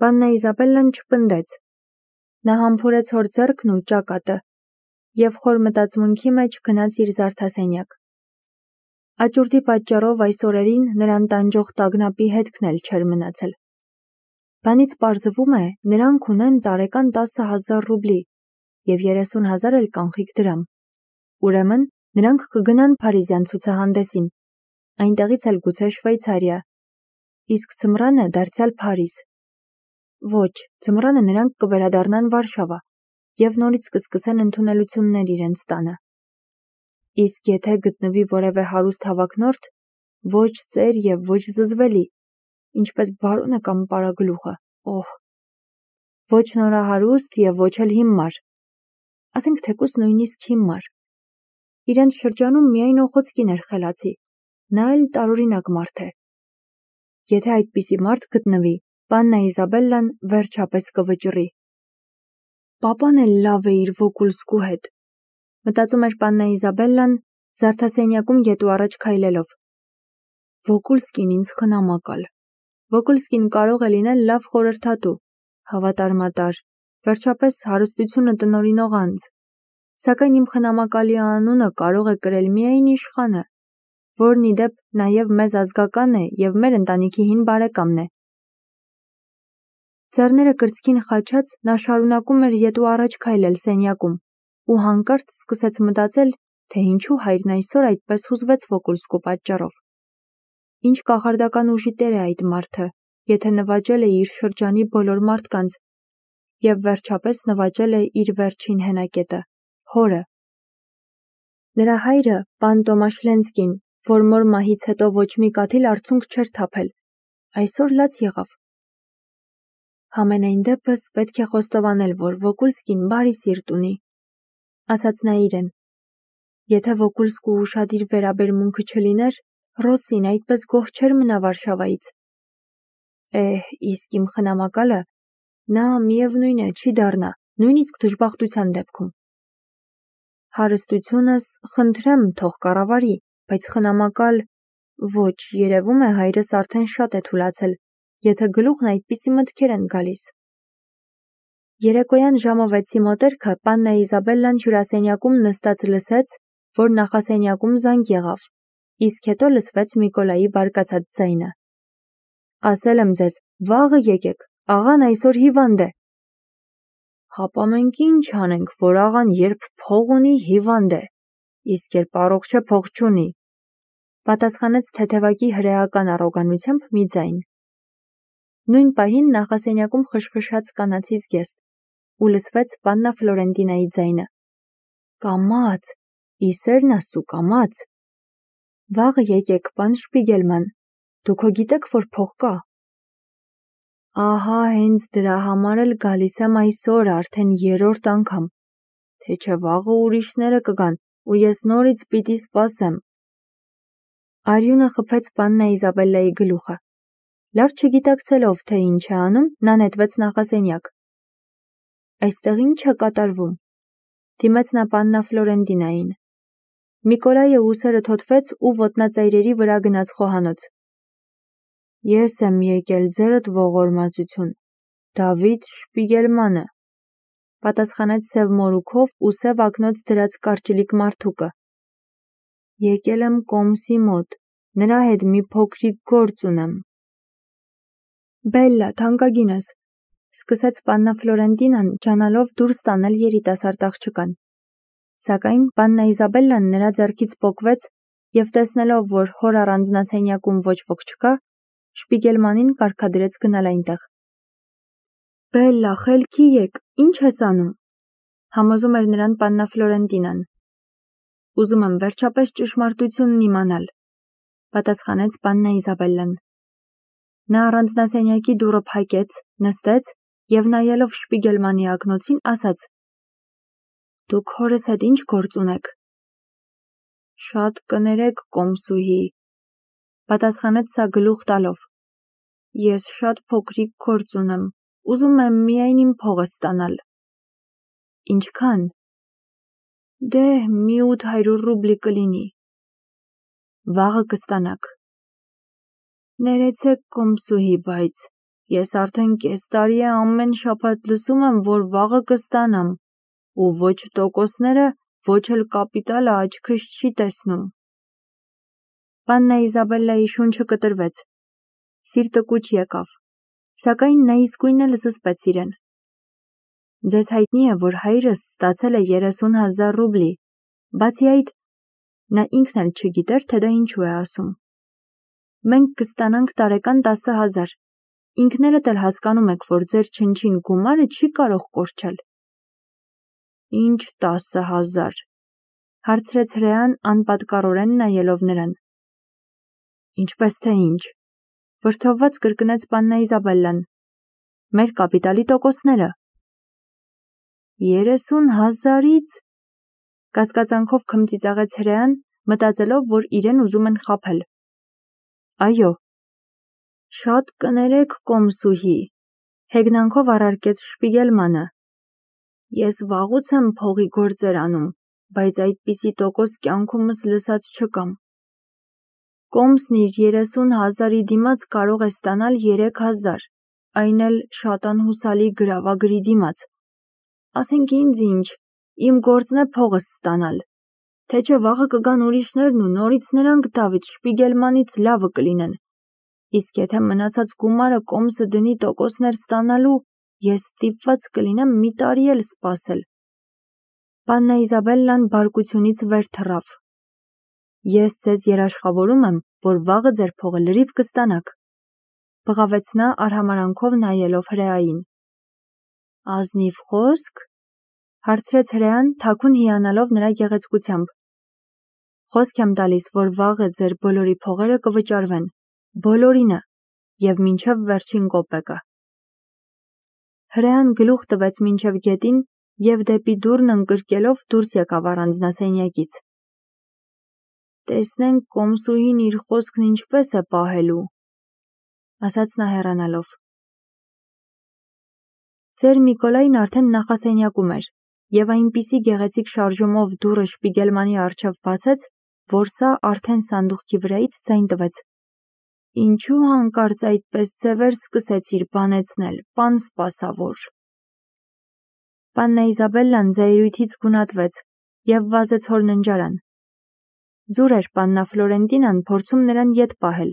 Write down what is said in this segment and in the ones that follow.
Պաննա Իզաբելլան չպնդեց։ Նա համբուրեց հոր ձեռքն ու ճակատը և խոր մտածմունքի մեջ գնաց իր զարդասենյակ։ Աճուրդի պատճառով այս օրերին նրան տանջող տագնապի հետքն էլ չէր մնացել։ Բանից պարզվում է, նրանք ունեն տարեկան 10,000 ռուբլի և 30,000 էլ կանխիկ դրամ։ Ուրեմն նրանք կգնան Փարիզյան ցուցահանդեսին, այնտեղից էլ գուցե Շվեյցարիա, իսկ ձմռանը դարձյալ Փարիզ։ Ոչ, ձմռանը նրանք կվերադառնան Վարշավա և նորից կսկսեն ընդունելություններ իրենց տանը։ Իսկ եթե գտնվի որևէ հարուստ հավակնորդ, ոչ ծեր և ոչ զզվելի, ինչպես բարոնը կամ պարագլուխը, ոչ նորահարուստ և ոչ էլ հիմար, ասենք թեկուզ նույնիսկ հիմար։ Իրենց շրջանում միայն Օխոցկին էր խելացի, նա էլ տարօրինակ մարդ է։ Եթե այդպիսի մարդ գտնվի, Պաննա Իզաբելլան վերջապես կվճռի։ Պապան էլ լավ է իր Վոկուլսկու հետ, մտածում էր Պաննա Իզաբելլան, զարդասենյակում գետու առաջ քայլելով։ Վոկուլսկին ինձ խնամակալ։ Վոկուլսկին կարող է լինել լավ խորհրդատու, հավատարմատար, վերջապես հարստությունը տնօրինող անձ, սակայն իմ խնամակալի անունը կարող է կրել միայն իշխանը, որն ի դեպ նաև մեզ ազգական է և մեր ընտանիքի հին բարեկամն է։ Ձեռները կրծքին խաչած նա շարունակում էր ետու առաջ քայլել սենյակում ու հանկարծ սկսեց մտածել, թե ինչու հայրն այսօր այդպես հուզվեց Վոկուլսկու պատճառով։ Ինչ կախարդական ուժի տեր է այդ մարդը, եթե նվաճել է իր շրջանի բոլոր մարդկանց և վերջապես նվաճել է իր վերջին հենակետը՝ հորը։ Նրա հայրը, պան Տոմաշ Լենսկին, որ մոր մահից հետո ոչ մի կաթիլ արցունք չէր թափել, այսօր լաց եղավ։ Համենայն դեպս պետք է խոստովանել, որ Վոկուլսկին բարի սիրտ ունի, ասաց նա իրեն։ Եթե Վոկուլսկու ուշադիր վերաբերմունքը չլիներ, Ռոսին այդպես գոհ չէր մնա Վարշավայից։ Իսկ իմ խնամակալը, նա միևնույն է, չի դառնա, նույնիսկ դժբախտության դեպքում։ Հարստությունս, խնդրեմ, թող կառավարի, բայց խնամակալ, ոչ, երևում է հայրս արդեն շատ է թուլացել, եթե գլուխն այդպիսի մտքեր են գալիս։ Երեկոյան ժամը 6-ի մոտերքը Պաննա Իզաբելլան հյուրասենյակում նստած լսեց, որ նախասենյակում զանգ եղավ, իսկ հետո լսվեց Միկոլայի բարկացած ձայնը։ Ասել եմ ձեզ, վաղը եկեք, աղան այսօր հիվանդ է։ Հապա մենք ինչ անենք, որ աղան երբ փող ունի, հիվանդ է, իսկ երբ առողջ է, փող չունի, պատասխանեց թեթևակի հրեական առոգանությամբ մի ձայն։ Նույն պահին նախասենյակում խշխշաց կանացի զգեստ ու լսվեց Պաննա Ֆլորենտինայի ձայնը. Կամաց, իսերն ասու կամաց։ Վաղը եկեք, պան Շպիգելման, դուք հո գիտեք, որ փող կա։ Ահա հենց դրա համար էլ գալիս եմ այսօր արդեն 3-րդ անգամ, թե չէ վաղը ուրիշները կգան ու ես նորից պիտի սպասեմ։ Արյունը խփեց Պաննա Իզաբելլայի գլուխը։ Լավ չգիտակցելով, թե ինչ է անում, նա նետվեց նախասենյակ։ Այստեղ ինչ է կատարվում։ Դիմեց նա Պաննա Ֆլորենտինային։ Միկոլայը ուսերը թոթվեց ու ոտնածայրերի վրա գնաց խոհանոց։ Ես եմ եկել ձերդ ողորմածություն, Դավիթ Շպիգելմանը, պատասխանեց սև մորուքով ու սև ակնոց դրած կարճլիկ մարդուկը։ Եկել եմ կոմսի մոտ, նրա հետ մի փոքրիկ գործ ունեմ։ Բելլա, թանկագինս, սկսեց Պաննա Ֆլորենտինան, ջանալով դուրս տանել երիտասարդ աղջկան։ Սակայն Պաննա Իզաբելլան նրա ձեռքից պոկվեց և տեսնելով, որ հոր առանձնասենյակում ոչ ոք չկա, Շպիգելմանին կարգադրեց գնալ այնտեղ։ Բելլա, խելքի եկ, ինչ ես անում, համոզում էր նրան Պաննա Ֆլորենտինան։ Ուզում եմ վերջապես ճշմարտությունն իմանալ, պատասխանեց Պաննա Իզաբելլան։ Նա առանձնասենյակի դուռը փակեց, նստեց և նայելով Շպիգելմանի ակնոցին ասաց. Դուք հորս հետ ինչ գործ ունեք։ Շատ կներեք, կոմսուհի, պատասխանեց սա գլուխ տալով։ Ես շատ փոքրիկ գործ ունեմ, ուզում եմ միայն իմ փողը ստանալ։ Ինչքան։ Դե մի 800 ռուբլի կլինի։ Վաղը կստանաք։ Ներեցեք, կոմսուհի, բայց Ես արդեն կես տարի է ամեն շաբաթ լսում եմ, որ վաղը կստանամ, ու ոչ տոկոսները, ոչ էլ կապիտալը աչքս չի տեսնում։ Պաննա Իզաբելլայի շունչը կտրվեց, սիրտը կուչ եկավ, սակայն նա իսկույն էլ զսպեց իրեն։ Ձեզ հայտնի է, որ հայրս ստացել է 30,000 ռուբլի, բացի այդ, նա ինքն էլ չգիտեր, թե դա ինչու է ասում։ Մենք կստանանք տարեկան 10,000, ինքներդ էլ հասկանում եք, որ ձեր չնչին գումարը չի կարող կորչել։ Ինչ 10,000, հարցրեց հրեան անպատկառորեն նայելով նրան։ Ինչպես թե ինչ, վրդովված կրկնեց պաննա Իզաբելլան, մեր կապիտալի տոկոսները։ 30,000-ից, կասկածանքով քմծիծաղեց հրեան, մտածելով, որ իրեն ուզում են խաբել։ Այո, շատ կներեք, կոմսուհի, հեգնանքով առարկեց Շպիգելմանը։ Ես վաղուց եմ փողի գործեր անում, բայց այդպիսի տոկոս կյանքումս լսած չկամ։ Կոմսն իր 30,000-ի դիմաց կարող է ստանալ 3,000, այն էլ շատ անհուսալի գրավագրի դիմաց։ Ասենք ինձ ինչ, իմ գործն է փողս ստանալ, թե չէ վաղը կգան ուրիշներն ու նորից նրանք Դավիթ Շպիգելմանից լավը կլինեն։ Իսկ եթե մնացած գումարը կոմսը դնի տոկոսներ ստանալու, ես ստիպված կլինեմ մի տարի էլ սպասել։ Պաննա Իզաբելլան բարկությունից վեր թռավ։ Ես ձեզ երաշխավորում եմ, որ վաղը ձեր փողը լրիվ կստանաք, բղավեց նա արհամարանքով նայելով հրեային։ Ազնիվ խոսք, հարցրեց հրեան, թաքուն հիանալով նրա գեղեցկությամբ։ Խոսք եմ տալիս, որ վաղը ձեր բոլորի փողերը կվճարվեն, բոլորինը, և մինչև վերջին կոպեկը։ Հրեան գլուխ տվեց մինչև գետին և դեպի դուռն ընկրկելով դուրս եկավ առանձնասենյակից։ Տեսնենք կոմսուհին իր խոսքն ինչպես է պահելու, ասաց նա հեռանալով։ Ձեր Միկոլային արդեն նախասենյակում էր, և այնպիսի գեղեցիկ շարժումով դուռը Շպիգելմանի առջև բացեց, որ սա արդեն սանդուղքի վրայից ձայն տվեց։ Ինչու հանկարծ այդպես ձևեր սկսեցիր բանեցնել, պան սպասավոր։ Պաննա Իզաբելլան զայրույթից գունատվեց և վազեց հոր ննջարան։ Զուր էր պաննա Ֆլորենտինան փորձում նրան ետ պահել։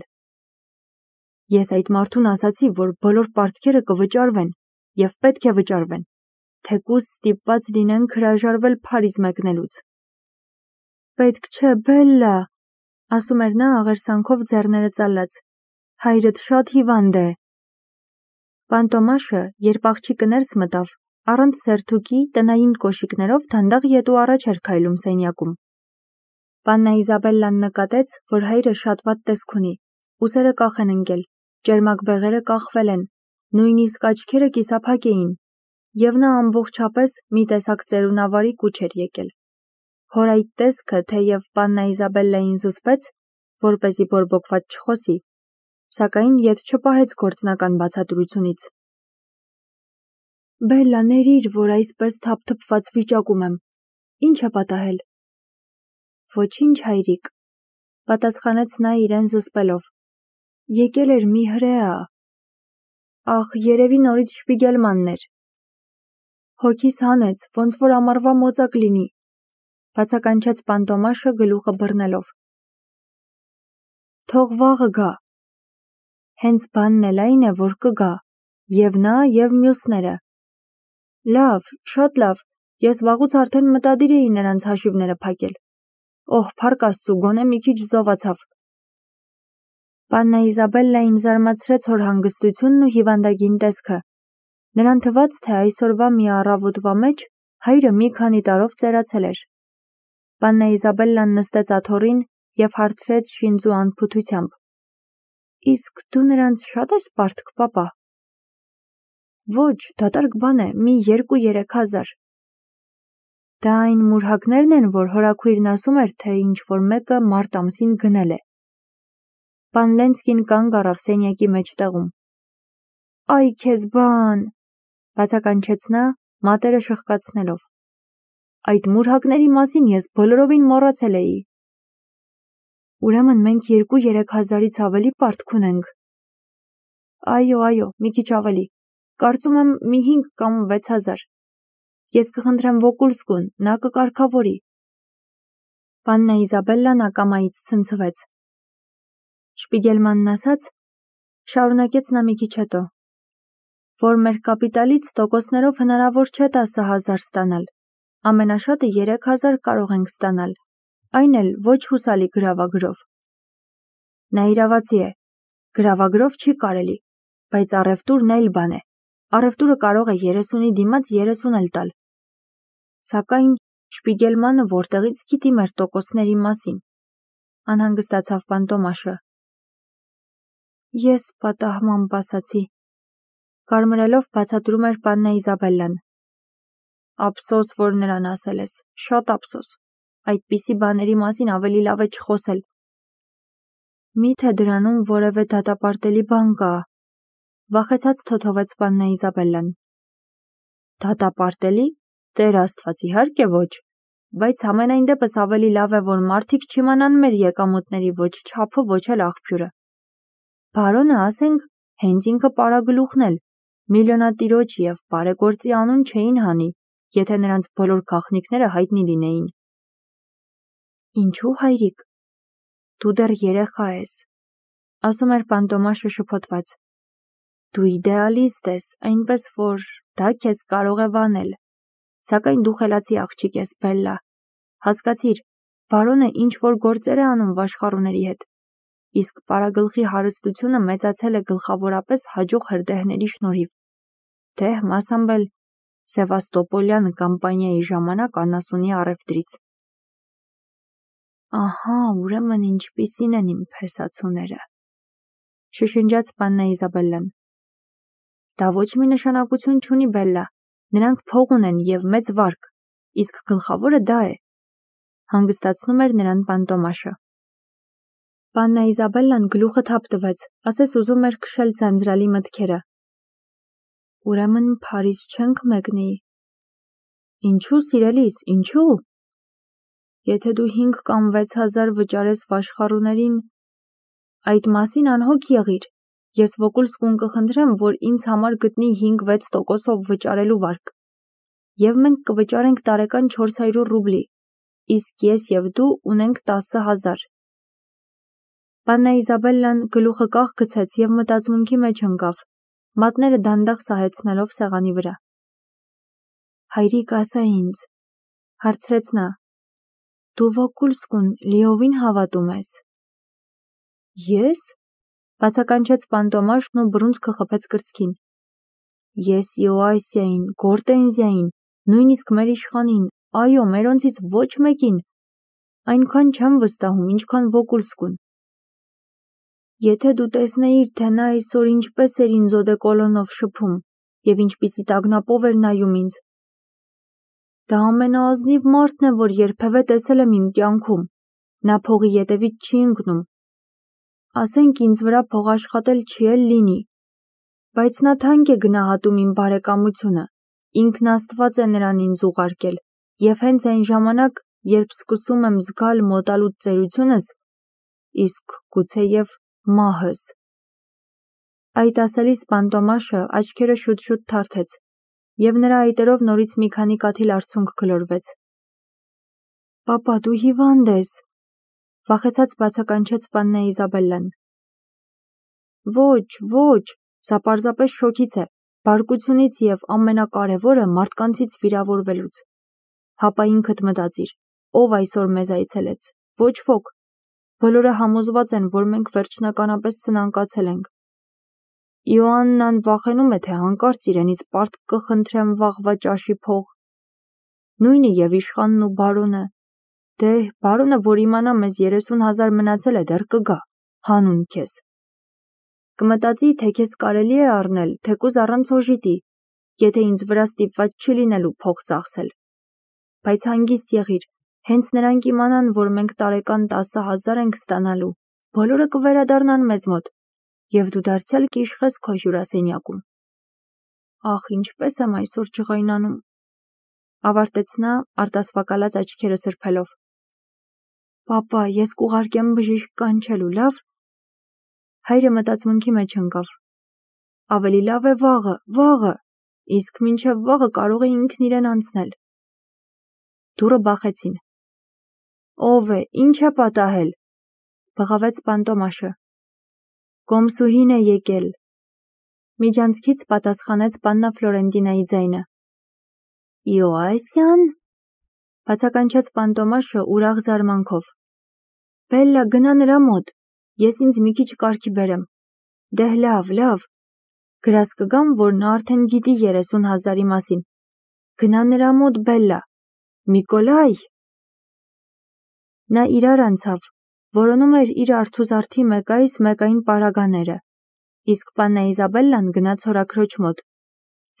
Ես այդ մարդուն ասացի, որ բոլոր պարտքերը կվճարվեն, և պետք է վճարվեն, թեկուզ ստիպված լինենք հրաժարվել Փարիզ մեկնելուց։ Պետք չէ, Բելլա, ասում էր նա աղերսանքով ձեռները ծալած, հայրդ շատ հիվանդ է։ Պան Տոմաշը, երբ աղջիկը ներս մտավ, առանց սերթուկի տնային կոշիկներով դանդաղ ետու առաջ էր քայլում սենյակում։ Պաննա Իզաբելլան նկատեց, որ հայրը շատ վատ տեսք ունի, ուսերը կախ են ընկել, ճերմակ բեղերը կախվել են, նույնիսկ աչքերը կիսափակ էին, և նա ամբողջապես մի տեսակ ծերունավարի կուչ էր եկել։ Հոր այդ տեսքը, թեև պաննա Իզաբելլային զսպեց, որպեսզի բորբոքված չխոսի, սակայն ետ չպահեց գործնական բացատրությունից։ Բելլա, ներիր, որ այսպես թափթփված վիճակում եմ, ինչ է պատահել։ Ոչինչ, հայրիկ, պատասխանեց նա իրեն զսպելով։ Եկել էր մի հրեա։ Ախ, երևի նորից Շպիգելմանն էր։ Հոգիս հանեց, ոնց որ ամառվա մոծակ լինի, բացականչեց պան Տոմաշը գլուխը բռնելով։ Թող վաղը գա։ Հենց բանն էլ այն է, որ կգա, և նա, և մյուսները։ Լավ, շատ լավ, ես վաղուց արդեն մտադիր էի նրանց հաշիվները փակել։ Օհ, փառք Աստծու, գոնե մի քիչ զովացավ։ Պաննա Իզաբելլային զարմացրեց հոր հանգստությունն ու հիվանդագին տեսքը։ Նրան թվաց, թե այսօրվա մի առավոտվա մեջ հայրը մի քանի տարով ծերացել էր։ Պաննա Իզաբելլան նստեց աթոռին և հարցրեց շինծու անփութությամբ. Իսկ դու նրանց շատ ես պարտք, պապա։ Ոչ, դատարկ բան է, մի 2-3,000։ Դա այն մուրհակներն են, որ հորաքույրն ասում էր, թե ինչ-որ մեկը մարտ ամսին գնել է։ Պան Լենցկին կանգ առավ սենյակի մեջտեղում։ Այ քեզ բան, բացականչեց նա, մատերը շխկացնելով։ Այդ մուրհակների մասին ես բոլորովին մոռացել էի։ Ուրեմն մենք 2-3,000-ից ավելի պարտք ունենք։ Այո, մի քիչ ավելի։ Կարծում եմ մի 5 կամ 6000։ Ես կխնդրեմ Վոկուլսկուն, նա կկարգավորի։ Պաննա Իզաբելլան ակամայից ցնցվեց։ Շպիգելմանն ասաց, շարունակեց նա մի քիչ հետո, որ մեր կապիտալից տոկոսներով հնարավոր չէ 10,000 ստանալ, ամենաշատը 3000 կարող ենք ստանալ, այն էլ ոչ հուսալի գրավագրով։ Նա իրավացի է, գրավագրով չի կարելի, բայց առևտուրն այլ բան է, առևտուրը կարող է 30-ի դիմաց 30 էլ տալ։ Սակայն Շպիգելմանը որտեղից գիտի մեր տոկոսների մասին, անհանգստացավ Պանտոմաշը։ Ես պատահմամբ ասացի, կարմրելով բացատրում էր Պաննա Իզաբելլան։ Ափսոս, որ նրան ասել ես, շատ ափսոս, այդպիսի բաների մասին ավելի լավ է չխոսել։ Միթե դրանում որևէ դատապարտելի բան կա, վախեցած թոթովեց Պաննա Իզաբելլան։ Դատապարտելի, Տեր Աստված, իհարկե ոչ, բայց համենայն դեպս ավելի լավ է, որ մարդիկ չիմանան մեր եկամուտների ոչ չափը, ոչ էլ աղբյուրը։ Բարոնը, ասենք, հենց ինքը պարագլուխն էլ, միլիոնատիրոջ և բարեգործի անուն չէին հանի, եթե նրանց բոլոր գաղտնիքները հայտնի լինեին։ Ինչու, հայրիկ, դու դեռ երեխա ես, ասում էր Պանտոմաշը շփոթված։ Դու իդեալիստ ես, այնպես որ դա քեզ կարող է վանել, սակայն դու խելացի աղջիկ ես, Բելլա, հասկացիր, բարոնը ինչ-որ գործեր է անում վաշխառուների հետ, իսկ պարագլխի հարստությունը մեծացել է գլխավորապես հաջող հրդեհների շնորհիվ, թե մասամբ էլ Սևաստոպոլյան կամպանիայի ժամանակ անասունի առևտրից։ Ահա, ուրեմն ինչպիսին են իմ փեսացուները, շշնջաց Պաննա Իզաբելլան։ Դա ոչ մի նշանակություն չունի, Բելլա, նրանք փող ունեն և մեծ վարկ, իսկ գլխավորը դա է, հանգստացնում էր նրան Պանտոմաշը։ Պաննա Իզաբելլան գլուխը թափ տվեց, ասես ուզում էր քշել ձանձրալի մտքերը։ Ուրեմն Փարիզ չենք մեկնի։ Ինչու, սիրելիս, ինչու։ Եթե դու 5 կամ 6000 վճարես վաշխառուներին, այդ մասին անհոգ եղիր, ես Վոկուլսկուն կխնդրեմ, որ ինձ համար գտնի 5-6% վճարելու վարկ, և մենք կվճարենք տարեկան 400 ռուբլի, իսկ ես և դու ունենք 10,000։ Պաննա Իզաբելլան գլուխը կախ գցեց և մտածմունքի մեջ ընկավ, մատները դանդաղ սահեցնելով սեղանի վրա։ Հայրիկ, ասա ինձ, հարցրեց նա, դու Վոկուլսկուն լիովին հավատում ես։ Ես, բացականչեց Պանտոմաշն ու բռունցքը խփեց կրծքին։ Ես Իոասիային, Գորտենզիային, նույնիսկ մեր իշխանին, այո, մերոնցից ոչ մեկին, այնքան չեմ վստահում, ինչքան Վոկուլսկուն։ Եթե դու տեսնեիր, թե նա այսօր ինչպես էր ինձ օդեկոլոնով շփում և ինչպիսի տագնապով էր նայում ինձ։ Դա ամենաազնիվ մարդն է, որ երբևէ տեսել եմ իմ կյանքում, նա փողի ետևից չի ընկնում։ Ասենք ինձ վրա փող աշխատել չի էլ լինի, բայց նա թանկ է գնահատում իմ բարեկամությունը, ինքն Աստված է նրան ինձ ուղարկել, և հենց այն ժամանակ, երբ սկսում եմ զգալ մոտալուտ ծերությունս, իսկ գուցեև մահս։ Այդ ասելիս Պանտոմաշը աչքերը շուտ-շուտ թարթեց, և նրա այտերով նորից մի քանի կաթիլ արցունք գլորվեց։ Պապա, դու հիվանդ ես, վախեցած բացականչեց Պաննա Իզաբելլան։ Ոչ, սա պարզապես շոգից է, բարկությունից և ամենակարևորը մարդկանցից վիրավորվելուց։ Հապա ինքդ մտածիր, ով այսօր մեզ այցելեց, ոչ ոք։ Բոլորը համոզված են, որ մենք վերջնականապես սնանկացել ենք։ Իոաննան վախենում է, թե հանկարծ իրենից պարտք կխնդրեմ վաղվա ճաշի փող։ Նույնը և իշխանն ու բարոնը։ Դե, բարոնը, որ իմանա մեզ 30,000 մնացել է, դեռ կգա, հանուն քեզ։ Կմտածի, թե քեզ կարելի է առնել, թեկուզ առանց օժիտի, եթե ինձ վրա ստիպված չի լինելու փող ծախսել։ Բայց հանգիստ եղիր, հենց նրանք իմանան, որ մենք տարեկան 10,000 ենք ստանալու, բոլորը կվերադառնան մեզ մոտ, և դու դարձյալ կիշխես քո հյուրասենյակում։ Ախ, ինչպես եմ այսօր ջղայնանում, ավարտեց նա արտասվակալած աչքերը սրբելով։ Պապա, ես կուղարկեմ բժիշկ կանչելու, լավ։ Հայրը մտածմունքի մեջ ընկավ։ ավելի լավ է վաղը, իսկ մինչև վաղը կարող է ինքն իրեն անցնել։ Դուռը բախեցին։ Ո՞վ է, ինչ է պատահել, բղավեց Պանտոմաշը։ Կոմսուհին է եկել։ Միջանցքից պատասխանեց պաննա Ֆլորենտինայի ձայնը։ Իոասյան, բացականչեց Պանտոմաշը ուրախ զարմանքով։ Բելլա, գնա նրա մոտ, ես ինձ մի քիչ կարգի բերեմ։ Դեհ լավ, գրազ կգամ, որ նա արդեն գիտի 30,000-ի մասին։ Գնա նրա մոտ, Բելլա։ Միկոլայ։ Նա իրար անցավ, որոնում էր իր արթուզարդի մեկային պարագաները, իսկ պաննա Իզաբելլան գնաց հորաքրոջ մոտ,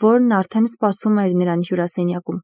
որն արդեն սպասում էր նրան հյուրասենյակում։